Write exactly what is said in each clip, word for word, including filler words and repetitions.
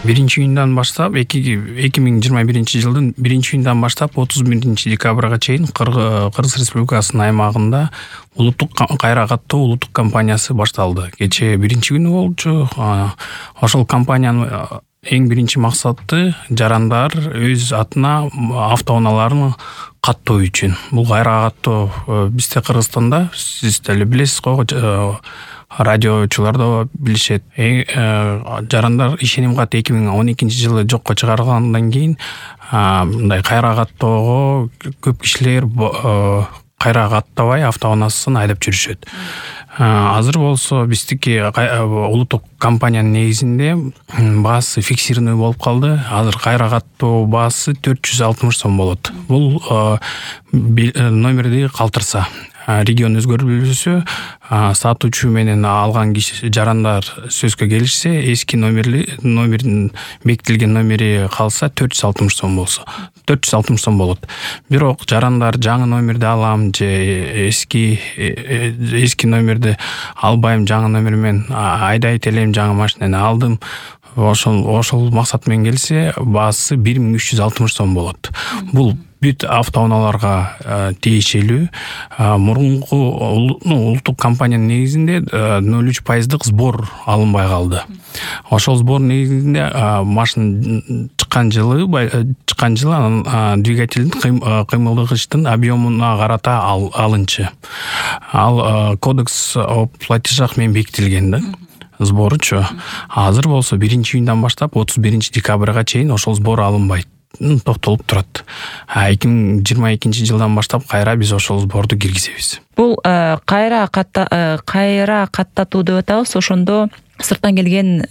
биринчи июндан баштап эки миң жыйырма биринчи жылдын биринчи июндан баштап отуз биринчи декабрга чейин Кыргыз Республикасынын аймагында улуттук кайра каттоо улуттук кампаниясы башталды. Кечээ биринчи күнү болчу. Ошол кампаниянын эң биринчи максаты жарандар өз атына автоунааларын каттоо үчүн. Бул кайра каттоо бизде Кыргызстанда сиз деле билесиз го, радиочулар да билишет. Жарандар ишеним кат эки миң он экинчи жылы жокко чыгарылгандан кийин мындай кайра каттоого көп кишилер кайра каттабай автоунаасын айдап жүрүшөт. Азыр болсо биздики улуттук компаниянын негизинде баасы фиксированный болуп калды. Азыр кайра каттоо баасы төрт жүз алтымыш сом болот. Бул номерди калтырса, регион өзгөрүлсө, сатуучу менен алган киши жарандар сөзгө келишсе, эски номерли номердин бекитилген номери калса төрт жүз алтымыш сом болсо, төрт жүз алтымыш сом болот. Бирок жарандар жаңы номерди алам же эски эски номерди албайм, жаңы номер менен айдайт элем, жаңы машинени алдым, ошол ошол максат менен келсе, баасы бир миң үч жүз алтымыш сом болот. Бул бүт автоунааларга тиешелүү. Мурунку улуттук компаниянын негизинде ноль үч пайыздык сбор алынбай калды. Ошол сбор негизинде машина чыккан жылы чыккан жылы анын двигателдин кыймылдагычтын объемуна карата алынчы. Ал кодекс о платежах менен бекитилген да. Сборучу. Азыр болсо биринчи июндан баштап отуз биринчи декабрга чейин ошол сбор алынбайт. Токтолуп турат. эки миң жыйырма экинчи жылдан баштап кайра биз ошол сборду киргизебиз. Бул кайра катта кайра каттатуу деп атабыз. Ошондо сырттан келген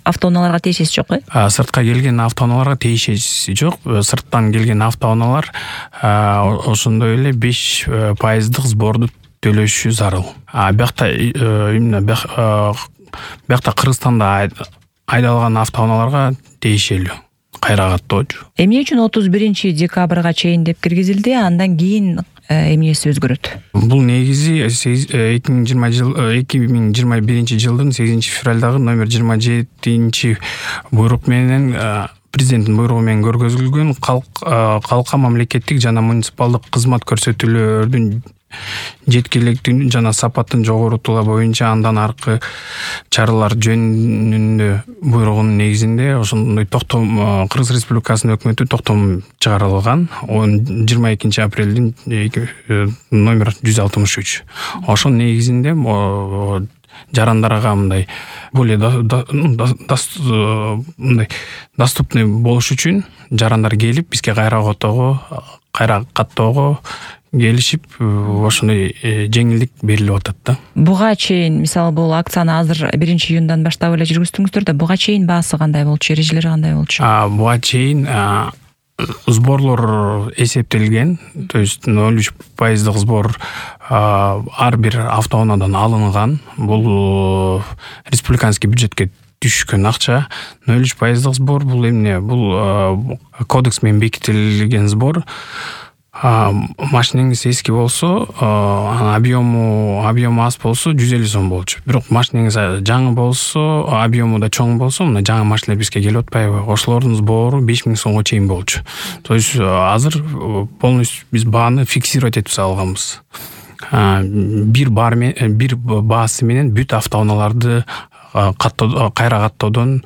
автоунааларга тиешеси жок э? Сыртка келген автоунааларга тиешеси жок. Сырттан келген автоунаалар ошондой эле беш пайыздык сборду төлөшү зарыл. Биякта именно биякта Кыргызстанда айдалган автоунааларга тиешелүү кайра каттоочу. Эмне үчүн отуз биринчи декабрга чейин деп киргизилди, андан кийин эмнеси өзгөрөт? Бул негизи эки миң жыйырма жыл эки миң жыйырма биринчи жылдын сегизинчи февралдагы номер жыйырма жетинчи буйрук менен президенттин буйругу менен көргөзүлгөн калка мамлекеттик жана муниципалдык кызмат көрсөтүүлөрдүн жеткиликтигин жана сапатын жогорутуулар боюнча андан аркы чаралар жөнүндө буйругунун негизинде ошондой токтом Кыргыз Республикасынын өкмөтү токтом чыгарылган жыйырма экинчи апрелдин номер жүз алтымыш үч. Ошонун негизинде жарандарга мындай более мындай доступный болуш үчүн жарандар келип бизге кайра каттоого кайра каттоого келишип, ошондой жеңилдик берилип атат да. Буга чейин, мисалы бул акцияны азыр биринчи июндан баштап эле жүргүздүңүздөр да, буга чейин баасы кандай болчу, эрежелери кандай болчу? Буга чейин сборлор эсептелген, то есть ноль үч пайыздык сбор ар бир автоунаадан алынган. Бул республиканский бюджетке түшкөн акча. ноль үч пайыздык сбор бул эмне? Бул кодекс менен бекитилген сбор. Машинеңиз эски болсо, объему объему аз болсо жүз элүү сом болчу. Бирок машинеңиз жаңы болсо, объему да чоң болсо, мына жаңы машиналар бизге келип атпайбы? Ошолордун сбору беш миң сомго чейин болчу. То есть азыр полностью биз бааны фиксировать этип салганбыз. Бир бар бир баасы менен бүт автоунааларды каттоо кайра каттоодон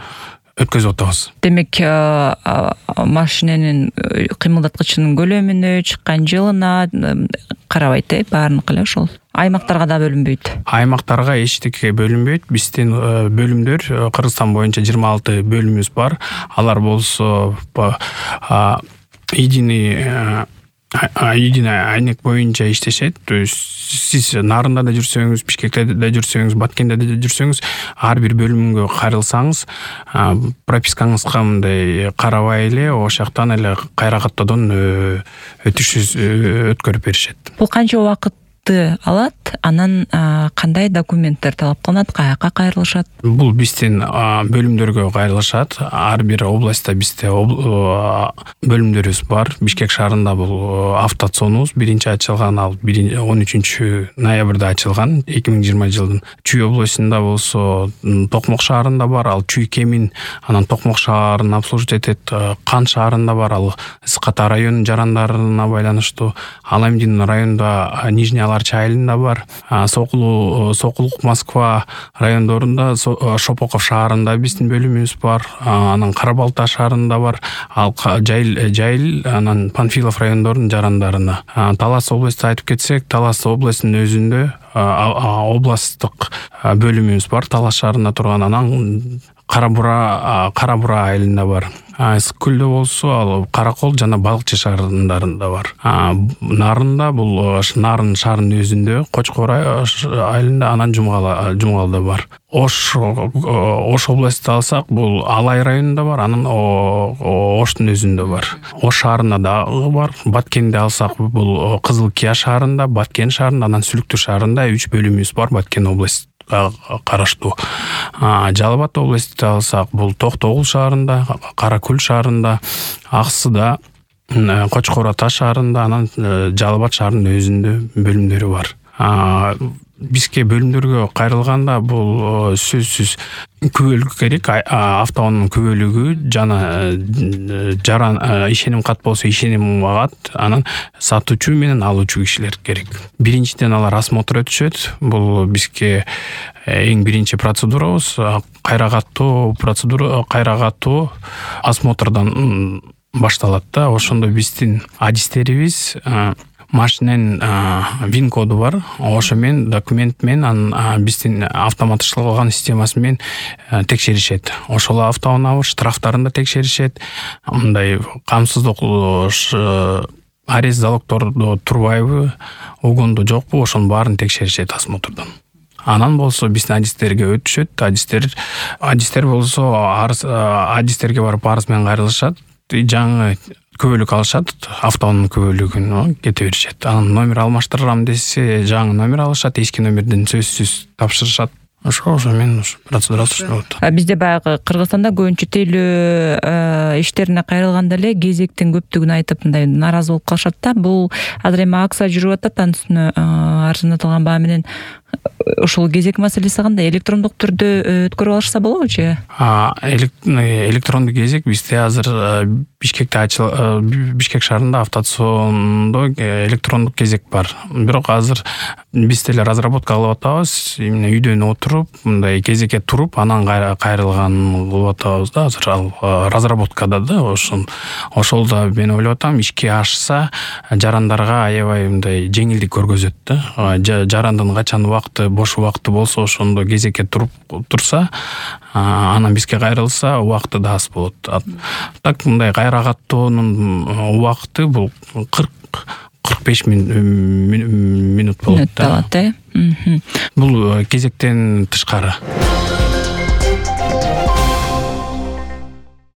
өткөзүп атабыз. Демек, машиненин кыймылдаткычынын көлөмүнө, чыккан жылына карабайт э, баарыныкы эле ошол. Аймактарга да бөлүнбөйт. Аймактарга эчтеке бөлүнбөйт. Биздин бөлүмдөр Кыргызстан боюнча жыйырма алты бөлүмүбүз бар. Алар болсо единый единый айнек боюнча иштешет. То есть сиз Нарында да жүрсөңүз, Бишкекте да жүрсөңүз, Баткенде да жүрсөңүз, ар бир бөлүмгө кайрылсаңыз, пропискаңызга мындай карабай эле ош жактан эле кайра каттоодон өтүш өткөрүп беришет. Бул канча убакыт катты алат, анан кандай документтер талап кылынат, каяка кайрылышат? Бул биздин бөлүмдөргө кайрылышат. Ар бир областта бизде бөлүмдөрүбүз бар. Бишкек шаарында бул автоцонубуз биринчи ачылган, ал он үчүнчү ноябрда ачылган, эки миң жыйырма жылдын. Чүй областында болсо Токмок шаарында бар, ал Чүй Кемин, анан Токмок шаарын обслуживать этет. Кан шаарында бар, ал Ысык-Ата районунун жарандарына байланыштуу. Аламдин районунда Нижний Аларча айылында бар. Сокулу Сокулук Москва райондорунда Шопоков шаарында биздин бөлүмүбүз бар. Анан Кара-Балта шаарында бар. Ал Жайыл Жайыл анан Панфилов райондорунун жарандарына. Талас областты айтып кетсек, Талас областынын өзүндө областтык бөлүмүбүз бар. Талас шаарында турган. Анан Кара-Бура Кара-Бура айылында бар. Ысык-Көлдө болсо ал Каракол жана Балыкчы шаарындарында бар. Нарында бул Нарын шаарынын өзүндө, Кочкор айылында, анан Жумгал Жумгалда бар. Ош Ош областты алсак, бул Алай районунда бар, анан Оштун өзүндө бар. Ош шаарында дагы бар. Баткенди алсак, бул Кызыл Кия шаарында, Баткен шаарында, анан Сүлүктү шаарында үч бөлүмүбүз бар Баткен областы караштуу. Жалал Абад областты алсак, бул Токтогул шаарында, Каракөл шаарында, Аксыда, Кочкор Ата шаарында, анан Жалал Абад шаарынын өзүндө бөлүмдөрү бар. Бизге бөлүмдөргө кайрылганда бул сөзсүз күбөлүк керек. Автоунаанын күбөлүгү жана жаран ишеним кат болсо ишеним кат, анан сатуучу менен алуучу кишилер керек. Биринчиден алар осмотр өтүшөт. Бул бизге эң биринчи процедурабыз. Кайра каттоо процедура, кайра каттоо осмотрдон башталат да. Ошондо биздин адистерибиз машиненин вин коду бар. Ошо менен документ менен биздин автоматташтырылган системасы менен текшеришет. Ошол автоунаа штрафтарын да текшеришет. Мындай камсыздык арест залогтордо турбайбы, угунду жокпу, ошонун баарын текшеришет осмотрдон. Анан болсо биздин адистерге өтүшөт. Адистер адистер болсо адистерге барып арыз менен кайрылышат. Жаңы күбөлүк алышат, автоунаа күбөлүгүн кете беришет. Анан номер алмаштырам десе, жаңы номер алышат, эски номерден сөзсүз тапшырышат. Ошо ошо менен процедура болот. Бизде баягы Кыргызстанда көбүнчө тейлөө иштерине кайрылганда эле кезектин көптүгүн айтып мындай нааразы болуп калышат да. Бул азыр эми акция жүрүп атат, анын үстүнө арзандатылган баа менен ошол кезек маселеси кандай? Электрондук түрдө өткөрүп алышса болобучу? Электрондук кезек бизде азыр Бишкекте ачыл Бишкек шаарында автоцондо электрондук кезек бар. Бирок азыр биз деле разработка кылып атабыз. Именно үйдөн отуруп, мындай кезекке туруп, анан кайрылган кылып атабыз да. Азыр ал разработкада да. Ошон ошол да мен ойлоп атам, ишке ашса жарандарга аябай мындай жеңилдик көргөзөт да. Жарандын качан убакыты, бош убакыты болсо, ошондо кезекке туруп турса, анан бизге кайрылса, убакыты да аз болот. Так мындай кайра каттоонун убакыты бул кырк кырк беш мүнөт болот да. Бул кезектен тышкары.